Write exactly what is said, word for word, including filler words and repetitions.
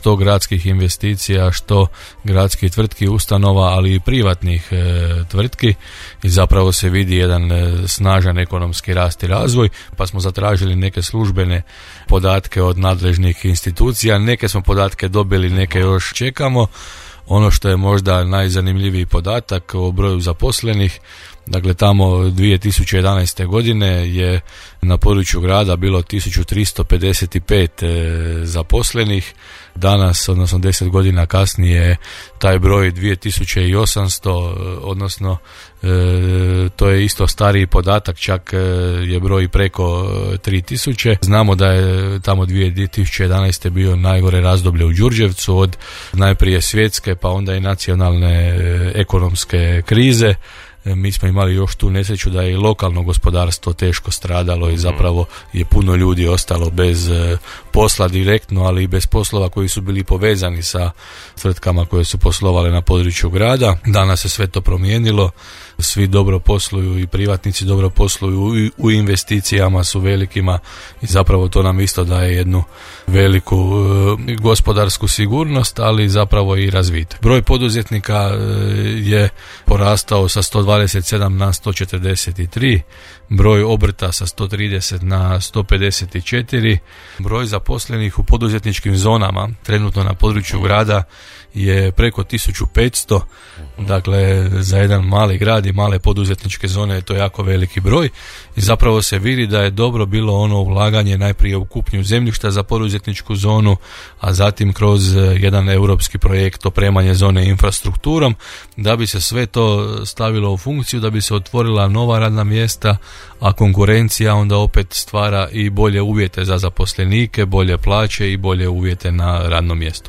što gradskih investicija, što gradskih tvrtki, ustanova, ali i privatnih e, tvrtki i zapravo se vidi jedan e, snažan ekonomski rast i razvoj, pa smo zatražili neke službene podatke od nadležnih institucija, neke smo podatke dobili, neke još čekamo. Ono što je možda najzanimljiviji podatak o broju zaposlenih, dakle tamo dvije tisuće jedanaeste. godine je na području grada bilo tisuću tristo pedeset pet e, zaposlenih, danas, odnosno deset godina kasnije, taj broj dvije tisuće osamsto, odnosno e, to je isto stariji podatak, čak e, je broj preko tri tisuće. Znamo da je tamo dvije tisuće jedanaeste. bio najgore razdoblje u Đurđevcu, od najprije svjetske pa onda i nacionalne e, ekonomske krize. Mi smo imali još tu nesreću da je i lokalno gospodarstvo teško stradalo i zapravo je puno ljudi ostalo bez posla direktno, ali i bez poslova koji su bili povezani sa tvrtkama koje su poslovale na području grada. Danas se sve to promijenilo, svi dobro posluju i privatnici dobro posluju, u investicijama su velikima i zapravo to nam isto daje jednu veliku e, gospodarsku sigurnost, ali zapravo i razvitak. Broj poduzetnika e, je porastao sa sto dvadeset sedam na sto četrdeset tri, broj obrta sa sto trideset na sto pedeset četiri, broj zaposlenih u poduzetničkim zonama trenutno na području grada je preko tisuću petsto, dakle za jedan mali grad i male poduzetničke zone je to jako veliki broj i zapravo se vidi da je dobro bilo ono ulaganje najprije u kupnju zemljišta za poduzetničku zonu, a zatim kroz jedan europski projekt opremanje zone infrastrukturom, da bi se sve to stavilo u funkciju, da bi se otvorila nova radna mjesta, a konkurencija onda opet stvara i bolje uvjete za zaposlenike, bolje plaće i bolje uvjete na radnom mjestu.